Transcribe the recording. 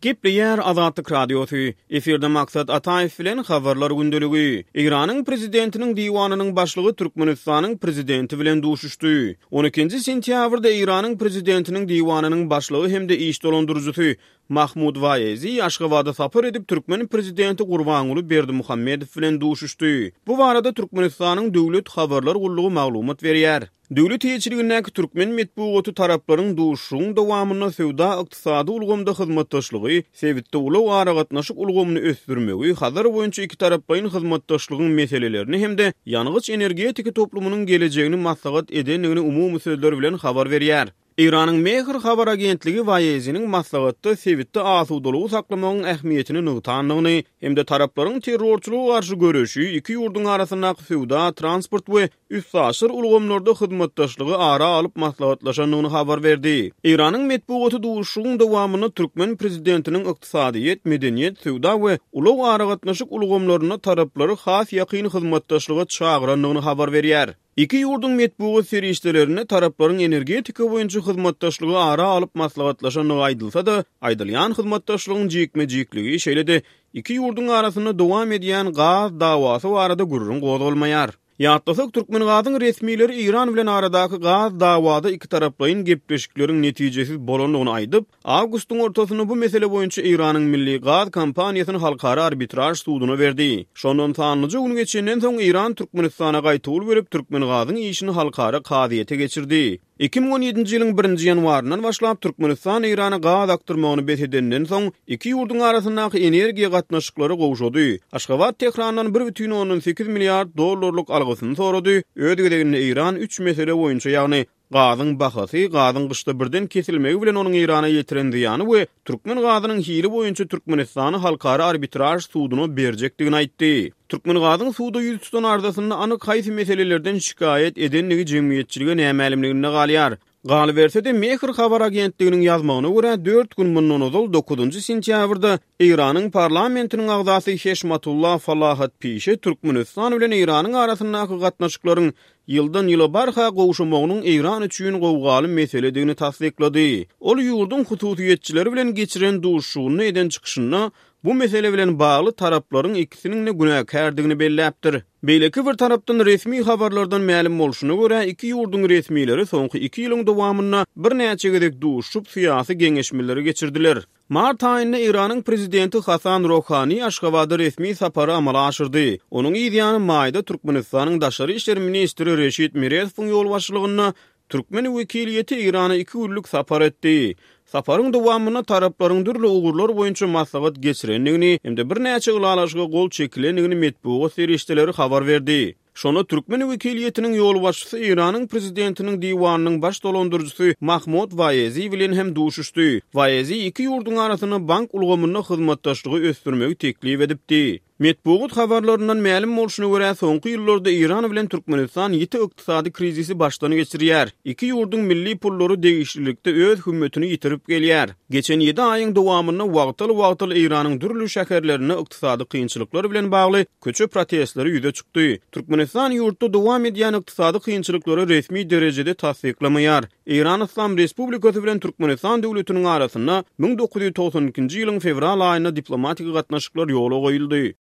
Gepleýär Azatlyk Radiosy, Efirde Maksat Ataýew bilen Habarlar gündeligi. Eýranyň Prezidentiniň diwanynyň başlygy Türkmenistanyň Prezidenti bilen duşuşdy. On ikinji sentýabrda Eýranyň Prezidentiniň diwanynyň başlygy hem-de iş dolandyryjysy Mahmud Waezi Aşgabada sapar edip, türkmen Prezidenti Gurbanguly Berdimuhamedow bilen duşuşdy. Bu barada Türkmenistanyň Döwlet habarlar gullugy maglumat berýär. Döwlet eýeçiligindäki türkmen metbugaty taraplaryň duşuşygyň dowamynda söwda-ykdysady ulgamda hyzmatdaşlygy, sebitde ulag-aragatnaşyk ulgamyny ösdürmegi, Hazar boýunça ikitaraplaýyn hyzmatdaşlygyň meselelerini hem-de ýangyç-energetika toplumynyň gelejegini maslahat edendigini umumy sözler bilen habar berýär. Eýranyň Mehr habar agentligi Waeziniň maslahatda sebitde asudalygy saklamagyň ähmiýetini nygtandygyny hem-de taraplaryň terrorçylyga garşy göreşi, iki ýurduň arasyndaky söwda, transport we üstaşyr ulgamlarda hyzmatdaşlygy ara alyp maslahatlaşandygyny habar berdi. Eýranyň metbugaty duşuşygyň dowamynda türkmen prezidentiniň ykdysadyýet, medeniýet, söwda we ulag-aragatnaşyk ulgamlarynda taraplary has ýakyn hyzmatdaşlyga çagyrandygyny habar berýär. Iki ýurduň metbugat serişdelerinde taraplaryň energetika boýunça hyzmatdaşlygy ara alyp maslahatlaşandygy aýdylsa-da, aýdylýan hyzmatdaşlygyň jikme-jikligi, şeýle-de iki ýurduň arasynda dowam edýän gaz dawasy barada gürrüň gozgalmaýar. Ýatlasak, Türkmengazyň resmileri Eýran bilen aradaky gaz dawada ikitaraplaýyn gepleşikleriň netijesiz bolandygyny aýdyp, awgustyň ortasynda bu mesele boýunça Eýranyň milli gaz kompaniýasyny halkara arbitraž suduna berdi. Şondan sanlyja gün geçenden soň Eýran Türkmenistana gaýtawul berip, Türkmengazyň işini halkara kazyýete geçirdi. 2017-nji ýylyň birinji ýanwaryndan başlap Türkmenistan Eýrana gaz akdyrmagyny bes edenden soň, iki ýurduň arasyndaky energiýa gatnaşyklary gowşady. Aşgabat Tährandan 1,8 milliard dollarlyk algysyny sorady, öz gezeginde Eýran üç mesele boýunça, ýagny gazyň bahasy, gazyň gyşda birden kesilmegi bilen onuň Eýrana ýetiren zyýany we türkmen gazynyň hili boýunça Türkmenistany halkara arbitraž suduna berjekdigini aýtdy. Türkmengazyň suda ýüz tutan arzasynda anyk haýsy meselelerden şikaýat edendigi jemgyýetçilige nämälimliginde galýar. Galyberse-de, Mehr habar agentliginiň ýazmagyna görä, dört gün mundan ozal, dokuzynjy sentýabrda Eýranyň parlamentiniň agzasy Heşmatullah Falahatpişe Türkmenistan bilen Eýranyň arasyndaky gatnaşyklaryň ýyldan-ýyla barha gowşamagynyň Eýran üçin gowgaly meseledigini tassyklady. Ol ýurduň hususyýetçileri bilen geçiren duşuşygynda eden çykyşynda bu mesele bilen bagly taraplaryň ikisiniň-de günäkärdigini belläpdir. Beýleki bir tarapdan, resmi habarlardan mälim bolşuna görä, iki ýurduň resmileri soňky iki ýylyň dowamynda birnäçe gezek duşuşyp, syýasy geňeşmeleri geçirdiler. Mart aýynda Eýranyň prezidenti Hasan Rohani Aşgabada resmi sapary amala aşyrdy. Onuň yz ýany maýda Türkmenistanyň daşary işler ministri Reşit Meredowyň ýolbaşçylygynda türkmen wekiliýeti Eýrana iki günlük sapar etdi. Saparyň dowamynda taraplaryň dürli ugurlar boýunça maslahat geçirendigini hem-de birnäçe ylalaşyga gol çekilendigini metbugat serişdeleri habar berdi. Şonda türkmen wekiliýetiniň ýolbaşçysy Eýranyň Prezidentiniň diwanynyň baş dolandyryjysy Mahmod Waezi bilen hem duşuşdy. Waezi iki ýurduň arasynda bank ulgamynda hyzmatdaşlygy ösdürmegi teklip edipdi. Metbugat habarlaryndan mälim bolşuna görä, soňky ýyllarda Eýran bilen Türkmenistan ýiti ykdysady krizisi başdan geçirýär. Iki ýurduň milli pullary degişlilikde öz hümmetini ýitirip gelýär. Geçen ýedi aýyň dowamynda wagtal-wagtal Eýranyň dürli şäherlerinde ykdysady kynçylyklar bilen bagly köçe protestleri ýüze çykdy. Türkmenistan ýurtda dowam edýän ykdysady kynçylyklary resmi derejede tassyklamaýar. Eýran Yslam Respublikasy bilen Türkmenistan döwletiniň arasynda 1992-nji ýylyň fewral aýynda diplomatik gatnaşyklar ýola goýuldy.